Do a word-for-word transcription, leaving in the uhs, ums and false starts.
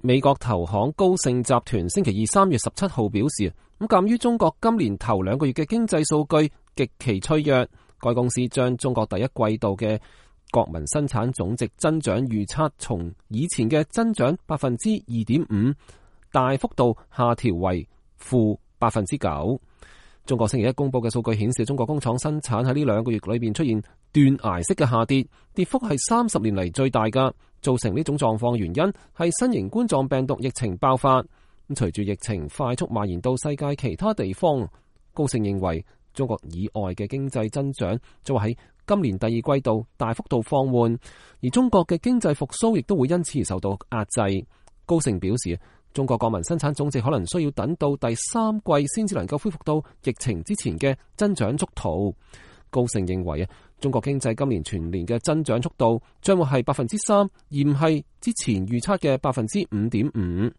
美國投行高盛集團星期二三月十七號表示，咁鑒於中國今年頭兩個月嘅經濟數據極其脆弱，該公司將中國第一季度嘅國民生產總值增長預測從以前嘅增長百分之二點五大幅度下調為負百分之九。中國星期一公布嘅數據顯示，中國工廠生產喺呢兩個月裏邊出現斷崖式嘅下跌，跌幅係三十年嚟最大㗎。造成呢種狀況原因係新型冠狀病毒疫情爆發。咁隨住疫情快速蔓延到世界其他地方，高盛認為中國以外嘅經濟增長將會喺今年第二季度大幅度放緩，而中國嘅經濟復甦亦都會因此而受到壓制。高盛表示，中國國民生產總值可能需要等到第三季先至能夠恢復到疫情之前嘅增長速度。高盛認為啊，中國經濟今年全年嘅增長速度將會係百分之三，而唔係之前預測嘅百分之五點五。